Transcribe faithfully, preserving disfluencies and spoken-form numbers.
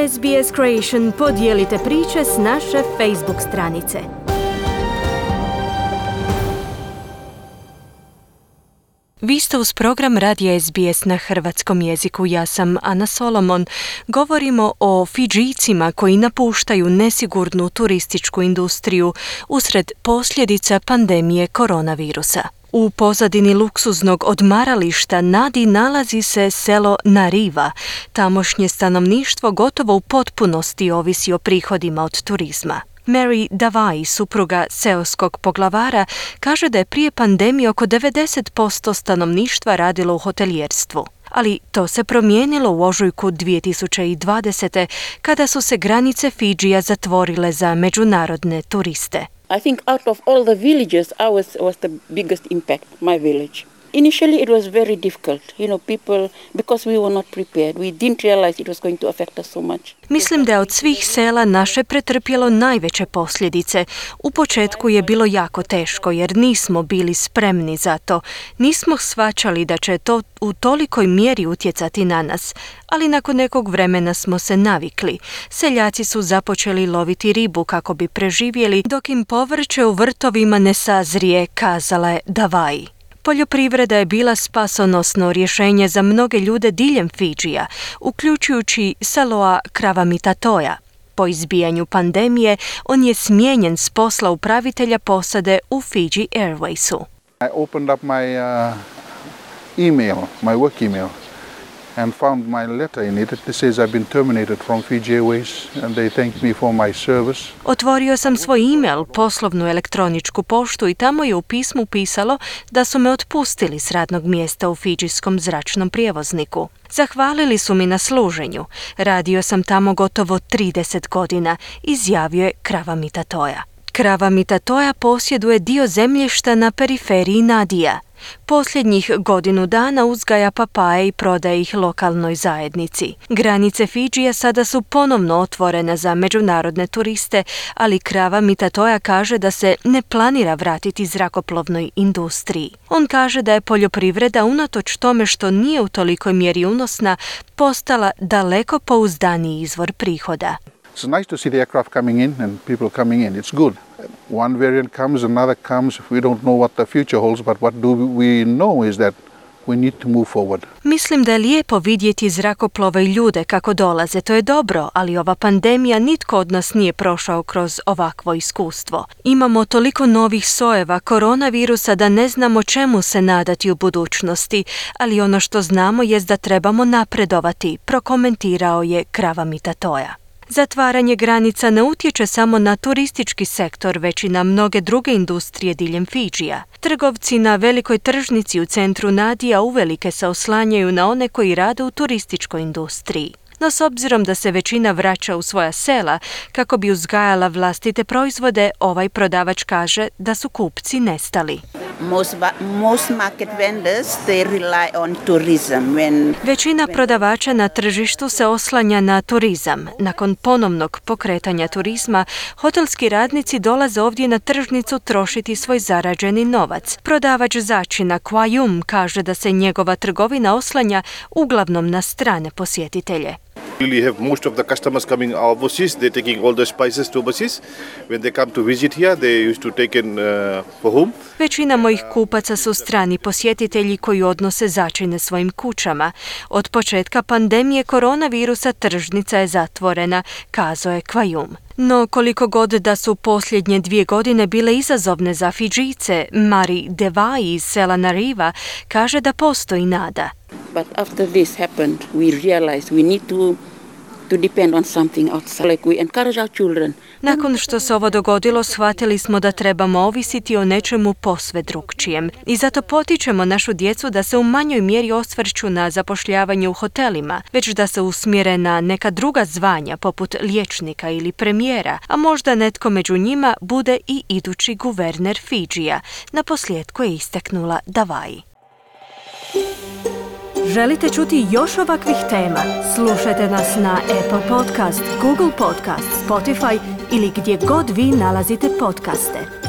S B S Creation podijelite priče s naše Facebook stranice. Vi ste uz program Radija S B S na hrvatskom jeziku. Ja sam Ana Solomon. Govorimo o Fidžijcima koji napuštaju nesigurnu turističku industriju usred posljedica pandemije koronavirusa. U pozadini luksuznog odmarališta Nadi nalazi se selo Nariva. Tamošnje stanovništvo gotovo u potpunosti ovisi o prihodima od turizma. Mary Davai, supruga seoskog poglavara, kaže da je prije pandemije oko devedeset posto stanovništva radilo u hotelijerstvu. Ali to se promijenilo u ožujku dvije tisuće dvadesete kada su se granice Fidžija zatvorile za međunarodne turiste. I think out of all the villages, ours was the biggest impact, my village. Initially it was very difficult, you know, people, because we were not prepared. We didn't realize it was going to affect us so much. Mislim da je od svih sela naše pretrpjelo najveće posljedice. U početku je bilo jako teško jer nismo bili spremni za to. Nismo shvaćali da će to u tolikoj mjeri utjecati na nas, ali nakon nekog vremena smo se navikli. Seljaci su započeli loviti ribu kako bi preživjeli dok im povrće u vrtovima ne sazrije, kazala je Davai. Poljoprivreda je bila spasonosno rješenje za mnoge ljude diljem Fidžija, uključujući Saloa Kravamitatoja. Po izbijanju pandemije, on je smijenjen s posla upravitelja posade u Fiji Airwaysu. I opened up my uh, email, my work email, and found my letter in it. It says I've been terminated from Fiji Airways and they thanked me for my service. Otvorio sam svoj email, poslovnu elektroničku poštu, i tamo je u pismu pisalo da su me otpustili s radnog mjesta u fidžijskom zračnom prijevozniku. Zahvalili su mi na služenju. Radio sam tamo gotovo trideset godina, izjavio je Kravamitatoja. Kravamitatoja posjeduje dio zemljišta na periferiji Nadija. Posljednjih godinu dana uzgaja papaje i prodaje ih lokalnoj zajednici. Granice Fidžija sada su ponovno otvorene za međunarodne turiste, ali Kravamitatoja kaže da se ne planira vratiti zrakoplovnoj industriji. On kaže da je poljoprivreda, unatoč tome što nije u tolikoj mjeri unosna, postala daleko pouzdaniji izvor prihoda. It's nice to see the aircraft coming in and people coming in. It's good. One variant comes, another comes. We don't know what the future holds, but what do we know is that we need to move forward. Mislim da je lijepo vidjeti zrakoplove i ljude kako dolaze. To je dobro, ali ova pandemija, nitko od nas nije prošao kroz ovakvo iskustvo. Imamo toliko novih sojeva koronavirusa da ne znamo čemu se nadati u budućnosti, ali ono što znamo jest da trebamo napredovati, prokomentirao je Kravamitatoja. Zatvaranje granica ne utječe samo na turistički sektor, već i na mnoge druge industrije diljem Fidžija. Trgovci na velikoj tržnici u centru Nadija uvelike se oslanjaju na one koji rade u turističkoj industriji. No s obzirom da se većina vraća u svoja sela kako bi uzgajala vlastite proizvode, ovaj prodavač kaže da su kupci nestali. Most, most market vendors, they rely on tourism. When, Većina prodavača na tržištu se oslanja na turizam. Nakon ponovnog pokretanja turizma, hotelski radnici dolaze ovdje na tržnicu trošiti svoj zarađeni novac. Prodavač začina Kwajum kaže da se njegova trgovina oslanja uglavnom na strane posjetitelje. We have most of the customers coming overseas. They're taking all the spices to overseas. When they come to visit here, they used to take in uh, for home. Većina mojih kupaca su strani posjetitelji koji odnose začine svojim kućama. Od početka pandemije koronavirusa tržnica je zatvorena, kazao je Kwajum. No koliko god da su posljednje dvije godine bile izazovne za Fidžijce, Mary Davai iz sela Nariva kaže da postoji nada. But after this happened, we realized we need to to depend on something outside. Like we encourage our children. Nakon što se ovo dogodilo, shvatili smo da trebamo ovisiti o nečemu posve drukčijem. I zato potičemo našu djecu da se u manjoj mjeri osvrću na zapošljavanje u hotelima, već da se usmjere na neka druga zvanja poput liječnika ili premijera, a možda netko među njima bude i idući guverner Fidžija. Naposljetku je istaknula Davai. Želite čuti još ovakvih tema? Slušajte nas na Apple Podcast, Google Podcast, Spotify ili gdje god vi nalazite podcaste.